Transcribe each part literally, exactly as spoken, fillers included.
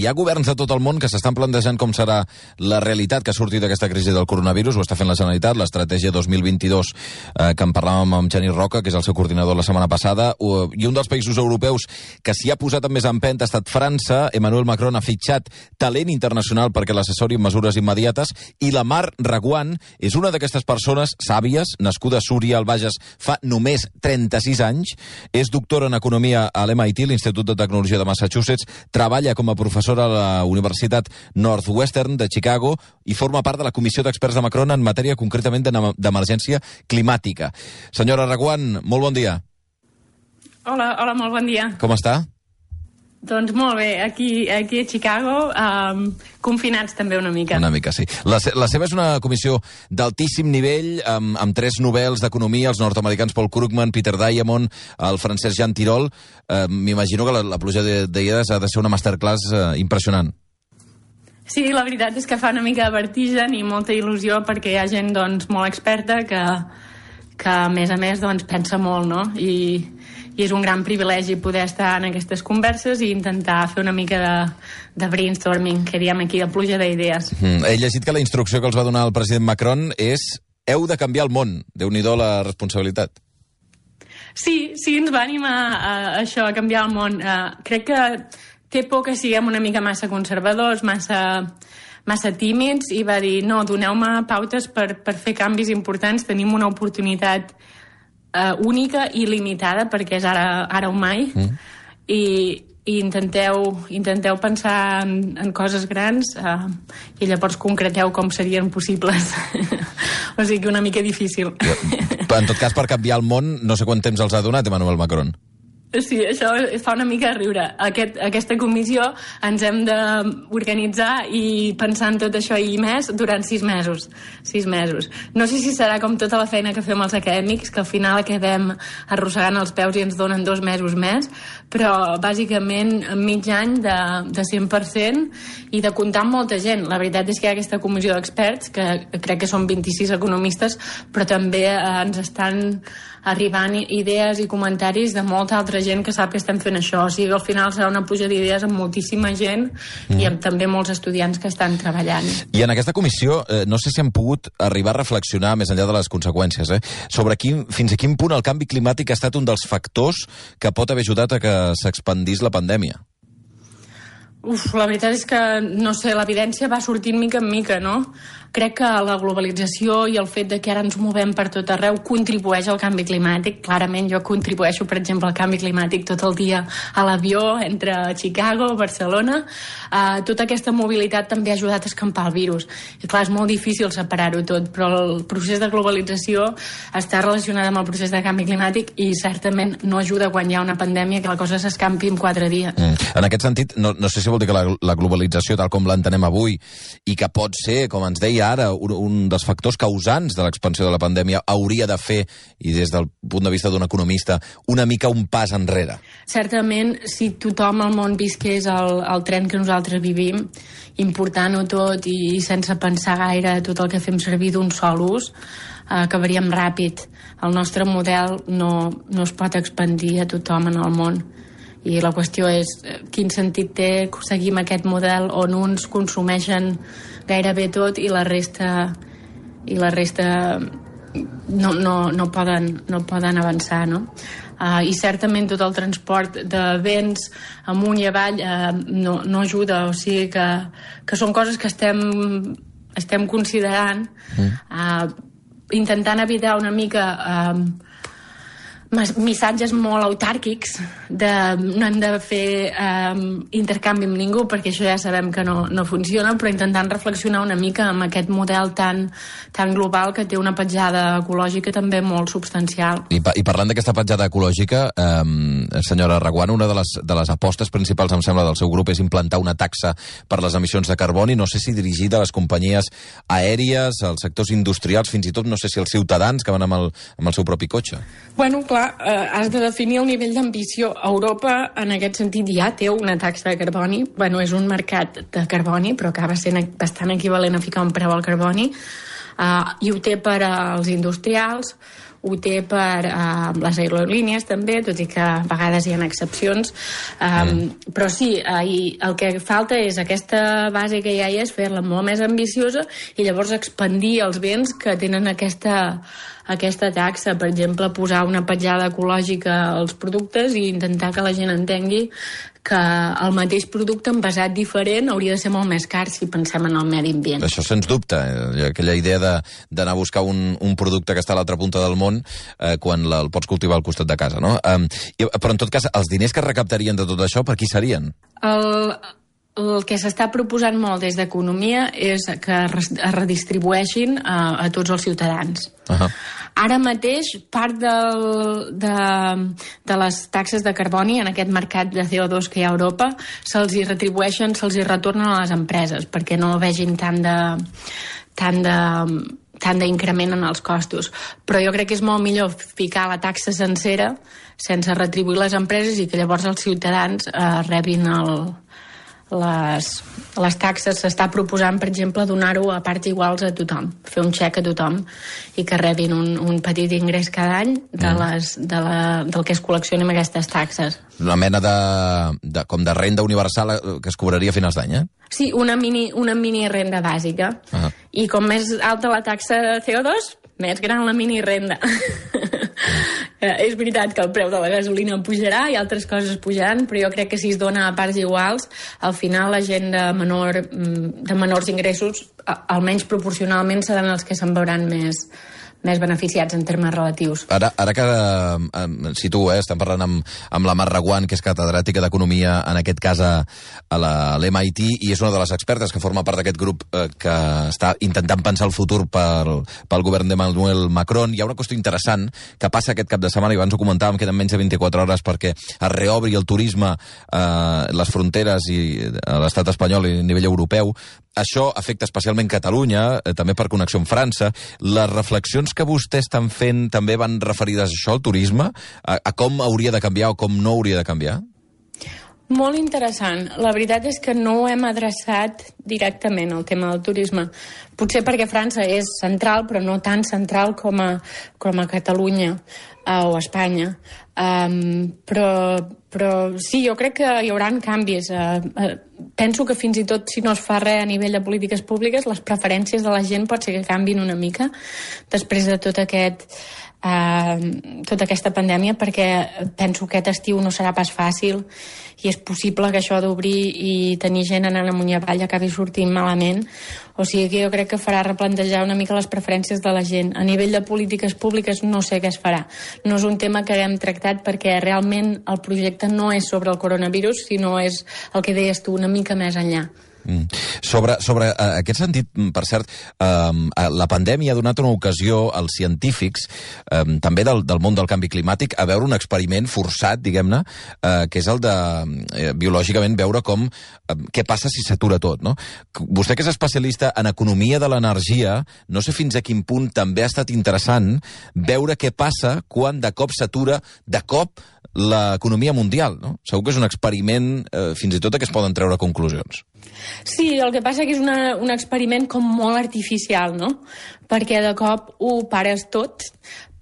Hi ha governs de tot el món que s'estan plantejant com serà la realitat que ha sortit d'aquesta crisi del coronavirus. Ho està fent la Generalitat, l'estratègia dos mil vint-i-dos, eh, que en parlàvem amb Genís Roca, que és el seu coordinador la setmana passada, i un dels països europeus que s'hi ha posat amb més empenta ha estat França. Emmanuel Macron ha fitxat talent internacional perquè l'assessori en mesures immediates, i la Mar Reguant és una d'aquestes persones sàvies, nascuda a Súria, al Bages, fa només trenta-sis anys, és doctora en Economia a l'M I T, l'Institut de Tecnologia de Massachusetts, treballa com a professora a la Universitat Northwestern de Chicago i forma part de la comissió d'experts de Macron en matèria concretament d'emergència climàtica. Senyora Reguant, molt bon dia. Hola, hola, molt bon dia. Com està? Doncs molt bé, aquí, aquí a Chicago, um, confinats també una mica. Una mica, sí. La, la seva és una comissió d'altíssim nivell, amb, amb tres Nobels d'Economia, els nord-americans Paul Krugman, Peter Diamond, el francès Jean Tirole. Uh, M'imagino que la, la pluja d'idees ha de ser una masterclass uh, impressionant. Sí, la veritat és que fa una mica de vertigen i molta il·lusió perquè hi ha gent doncs, molt experta que, que a més a més doncs, pensa molt, no? I... i és un gran privilegi poder estar en aquestes converses i intentar fer una mica de, de brainstorming, que diem aquí, de pluja d'idees. Mm, he llegit que la instrucció que els va donar el president Macron és heu de canviar el món. Déu-n'hi-do la responsabilitat. Sí, sí, ens va animar a, a això, a canviar el món. Uh, crec que té por que siguem una mica massa conservadors, massa, massa tímids, i va dir, no, doneu-me pautes per, per fer canvis importants, tenim una oportunitat Uh, única i limitada, perquè és ara, ara o mai, mm. i, i intenteu, intenteu pensar en, en coses grans uh, i llavors concreteu com serien possibles. O sigui que una mica difícil. En tot cas, per canviar el món, no sé quant temps els ha donat Emmanuel Macron. Sí, això fa una mica riure. Aquest, aquesta comissió ens hem d'organitzar i pensar en tot això i més durant sis mesos. Sis mesos. No sé si serà com tota la feina que fem els acadèmics, que al final acabem arrossegant els peus i ens donen dos mesos més, però bàsicament mig any de, de cent per cent i de comptar amb molta gent. La veritat és que hi ha aquesta comissió d'experts, que crec que són vint-i-sis economistes, però també eh, ens estan arribant idees i comentaris de molta altra gent que sap que estem fent això. O sigui, al final serà una pluja d'idees amb moltíssima gent mm. i amb també molts estudiants que estan treballant. I en aquesta comissió, eh, no sé si han pogut arribar a reflexionar, més enllà de les conseqüències, eh, sobre quin, fins a quin punt el canvi climàtic ha estat un dels factors que pot haver ajudat a que s'expandís la pandèmia. Uf, la veritat és que, no sé, l'evidència va sortint mica en mica, no? Crec que la globalització i el fet de que ara ens movem per tot arreu contribueix al canvi climàtic. Clarament jo contribueixo, per exemple, al canvi climàtic tot el dia a l'avió entre Chicago, Barcelona. Uh, tota aquesta mobilitat també ha ajudat a escampar el virus. I clar, és molt difícil separar-ho tot, però el procés de globalització està relacionat amb el procés de canvi climàtic i certament no ajuda quan hi ha una pandèmia que la cosa s'escampi en quatre dies. Mm. En aquest sentit, no, no sé si vol dir que la, la globalització, tal com l'entenem avui, i que pot ser, com ens deia ara, un, un dels factors causants de l'expansió de la pandèmia, hauria de fer, i des del punt de vista d'un economista, una mica un pas enrere. Certament, si tothom al món visqués el, el tren que nosaltres vivim, important-ho tot i sense pensar gaire tot el que fem servir d'un sol ús, eh, acabaríem ràpid. El nostre model no, no es pot expandir a tothom en el món. I la qüestió és quin sentit té seguir aquest model on uns consumeixen gairebé tot i la resta i la resta no, no, no, poden, no poden avançar, no? Uh, I certament tot el transport de béns amunt i avall uh, no, no ajuda, o sigui que, que són coses que estem, estem considerant, uh, intentant evitar una mica uh, missatges molt autàrquics de no hem de fer um, intercanvi amb ningú perquè això ja sabem que no, no funciona, però intentant reflexionar una mica amb aquest model tan, tan global que té una petjada ecològica també molt substancial. I, pa i parlant d'aquesta petjada ecològica, eh, senyora Reguant, una de les, de les apostes principals, em sembla, del seu grup és implantar una taxa per les emissions de carboni, no sé si dirigida a les companyies aèries, als sectors industrials, fins i tot no sé si als ciutadans que van amb el, amb el seu propi cotxe. Bueno, clar, eh, has de definir el nivell d'ambició. Europa, en aquest sentit, ja té una taxa de carboni. Bueno, és un mercat de carboni, però acaba sent bastant equivalent a ficar un preu al carboni. Uh, I ho té per als industrials, ho té per uh, les aerolínies també, tot i que a vegades hi ha excepcions. Um, mm. Però sí, uh, i el que falta és aquesta base que ja hi és, fer-la molt més ambiciosa i llavors expandir els béns que tenen aquesta, aquesta taxa. Per exemple, posar una petjada ecològica als productes i intentar que la gent entengui que el mateix producte envasat diferent hauria de ser molt més car si pensem en el medi ambient. Això sens dubte, eh? Aquella idea d'anar a buscar un, un producte que està a l'altra punta del món eh, quan la, el pots cultivar al costat de casa, no? Um, i, però en tot cas, els diners que recaptarien de tot això, per qui serien? El... El que s'està proposant molt des d'Economia és que es redistribueixin a, a tots els ciutadans. Uh-huh. Ara mateix, part del, de, de les taxes de carboni en aquest mercat de C O dos que hi ha a Europa se'ls hi retribueixen, se'ls hi retornen a les empreses perquè no vegin tant de... tant de tant d'increment en els costos. Però jo crec que és molt millor ficar la taxa sencera sense retribuir les empreses i que llavors els ciutadans eh, rebin el... Les, les taxes. S'està proposant, per exemple, donar-ho a parts iguals a tothom, fer un xec a tothom i que rebin un, un petit ingrés cada any de les, de la, del que es col·leccioni amb aquestes taxes. Una mena de, de, com de renda universal que es cobraria a finals d'any, eh? Sí, una mini, una mini renda bàsica. Uh-huh. I com més alta la taxa de C O dos, més gran la mini renda. Eh, és veritat que el preu de la gasolina pujarà i altres coses pujaran, però jo crec que si es dona a parts iguals, al final la gent de, menor, de menors ingressos, almenys proporcionalment, seran els que se'n veuran més, més beneficiats en termes relatius. Ara, ara que eh, situo, eh, estem parlant amb, amb la Mar Reguant, que és catedràtica d'Economia, en aquest cas a, a l'M I T, i és una de les expertes que forma part d'aquest grup eh, que està intentant pensar el futur pel, pel govern d'Emmanuel Macron. Hi ha una qüestió interessant que passa aquest cap de setmana, i abans ho comentàvem, queden menys de vint-i-quatre hores perquè es reobri el turisme, eh, les fronteres i a l'estat espanyol i a nivell europeu. Això afecta especialment Catalunya, eh, també per connexió amb França. Les reflexions que vostès estan fent també van referides a això, al turisme? A, a com hauria de canviar o com no hauria de canviar? Molt interessant. La veritat és que no ho hem adreçat directament, el tema del turisme. Potser perquè França és central, però no tan central com a, com a Catalunya eh, o Espanya. Um, però, però sí, jo crec que hi haurà canvis. Uh, uh, penso que fins i tot si no es fa res a nivell de polítiques públiques, les preferències de la gent pot ser que canvin una mica després de tot aquest... Uh, tota aquesta pandèmia, perquè penso que aquest estiu no serà pas fàcil i és possible que això d'obrir i tenir gent anant amunt i avall acabi sortint malament. O sigui que jo crec que farà replantejar una mica les preferències de la gent. A nivell de polítiques públiques no sé què es farà. No és un tema que hem tractat perquè realment el projecte no és sobre el coronavirus, sinó és el que deies tu, una mica més enllà. Mm. Sobre, sobre uh, aquest sentit, per cert, um, la pandèmia ha donat una ocasió als científics, um, també del, del món del canvi climàtic, a veure un experiment forçat, diguem-ne, uh, que és el de, uh, biològicament, veure com, uh, què passa si s'atura tot, no? Vostè, que és especialista en economia de l'energia, no sé fins a quin punt també ha estat interessant veure què passa quan de cop s'atura, de cop, l'economia mundial, no? Segur que és un experiment, eh, fins i tot, que es poden treure conclusions. Sí, el que passa que és una, un experiment com molt artificial, no? Perquè de cop ho pares tot,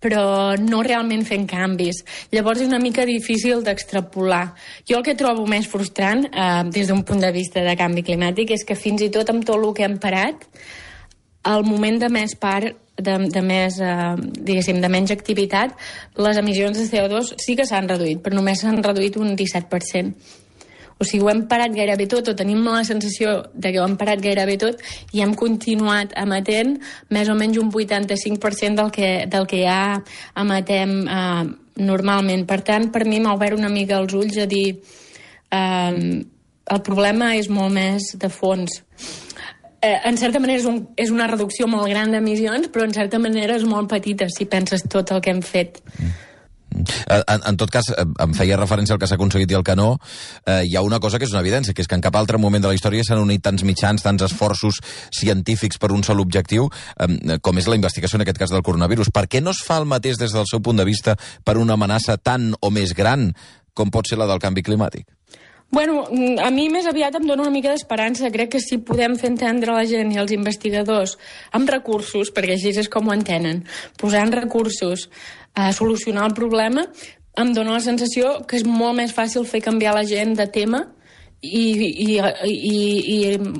però no realment fent canvis. Llavors és una mica difícil d'extrapolar. Jo el que trobo més frustrant, eh, des d'un punt de vista de canvi climàtic, és que fins i tot amb tot el que hem parat, al moment de més part de, de més, eh, diguéssim, de menys activitat, les emissions de C O dos sí que s'han reduït, però només s'han reduït un disset per cent. O sigui, ho hem parat gairebé tot, o tenim la sensació de que ho hem parat gairebé tot, i hem continuat emetent més o menys un vuitanta-cinc per cent del que, del que ja emetem eh, normalment. Per tant, per mi m'ha obert una mica els ulls a dir eh, el problema és molt més de fons. Eh, en certa manera és, un, és una reducció molt gran d'emissions, però en certa manera és molt petita si penses tot el que hem fet. Mm. En, en tot cas, em feia referència al que s'ha aconseguit i el que no. Eh, hi ha una cosa que és una evidència, que és que en cap altre moment de la història s'han unit tants mitjans, tants esforços científics per un sol objectiu, eh, com és la investigació en aquest cas del coronavirus. Per què no es fa el mateix des del seu punt de vista per una amenaça tan o més gran com pot ser la del canvi climàtic? Bueno, a mi més aviat em dona una mica d'esperança. Crec que si podem fer entendre a la gent i als investigadors amb recursos, perquè així és com ho entenen, posant recursos a solucionar el problema, em dona la sensació que és molt més fàcil fer canviar la gent de tema i, i, i, i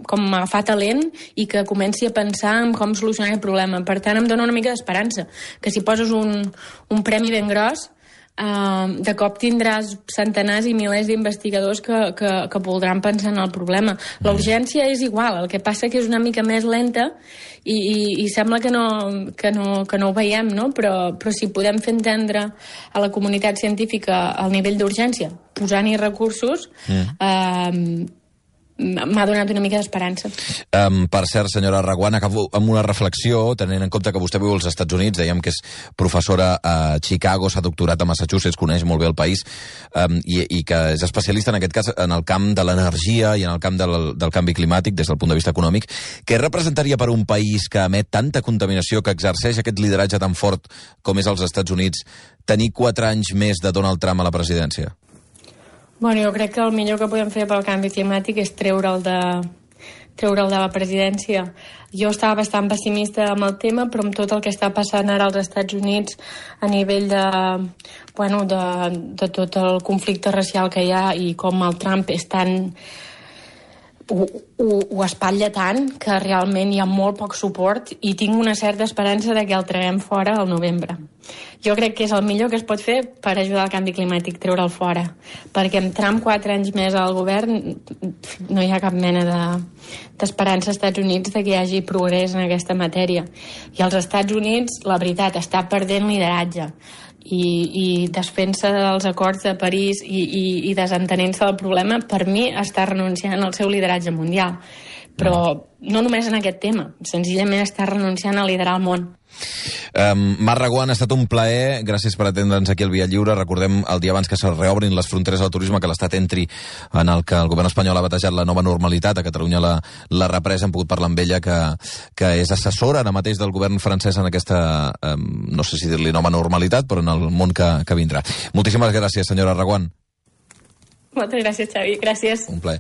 com agafar talent i que comenci a pensar en com solucionar el problema. Per tant, em dona una mica d'esperança, que si poses un, un premi ben gros, Uh, de cop tindràs centenars i milers d'investigadors que, que, que voldran pensar en el problema. La urgència és igual, el que passa que és una mica més lenta i, i, i sembla que no, que, no, que no ho veiem, no? Però, però si podem fer entendre a la comunitat científica el nivell d'urgència, posant-hi recursos, mm. uh, m'ha donat una mica d'esperança. Um, per cert, senyora Reguant, acabo amb una reflexió, tenint en compte que vostè viu als Estats Units, dèiem que és professora a Chicago, s'ha doctorat a Massachusetts, coneix molt bé el país, um, i, i que és especialista, en aquest cas, en el camp de l'energia i en el camp del, del canvi climàtic, des del punt de vista econòmic. Què representaria per un país que emet tanta contaminació, que exerceix aquest lideratge tan fort com és als Estats Units, tenir quatre anys més de Donald Trump a la presidència? Bueno, jo crec que el millor que podem fer pel canvi climàtic és treure'l de, treure'l de la presidència. Jo estava bastant pessimista amb el tema, però amb tot el que està passant ara als Estats Units a nivell de, bueno, de, de tot el conflicte racial que hi ha i com el Trump és tan... Ho, ho, ho espatlla tant que realment hi ha molt poc suport i tinc una certa esperança de que el traguem fora al novembre. Jo crec que és el millor que es pot fer per ajudar al canvi climàtic, treure'l fora. Perquè amb Trump quatre anys més al govern no hi ha cap mena de, d'esperança als Estats Units de que hi hagi progrés en aquesta matèria. I als Estats Units, la veritat, està perdent lideratge. I, i desfent-se dels acords de París i, i, i desentenent-se del problema, per mi està renunciant al seu lideratge mundial. Però no només en aquest tema, senzillament està renunciant a liderar el món. Um, Mar Reguant, ha estat un plaer, gràcies per atendre'ns aquí al Via Lliure. Recordem el dia abans que se reobrin les fronteres del turisme, que l'Estat entri en el que el govern espanyol ha batejat la nova normalitat. A Catalunya la, la represa, hem pogut parlar amb ella, que, que és assessora ara mateix del govern francès en aquesta, um, no sé si dir-li nova normalitat, però en el món que, que vindrà. Moltíssimes gràcies, senyora Reguant. Moltes gràcies, Xavi. Gràcies. Un plaer.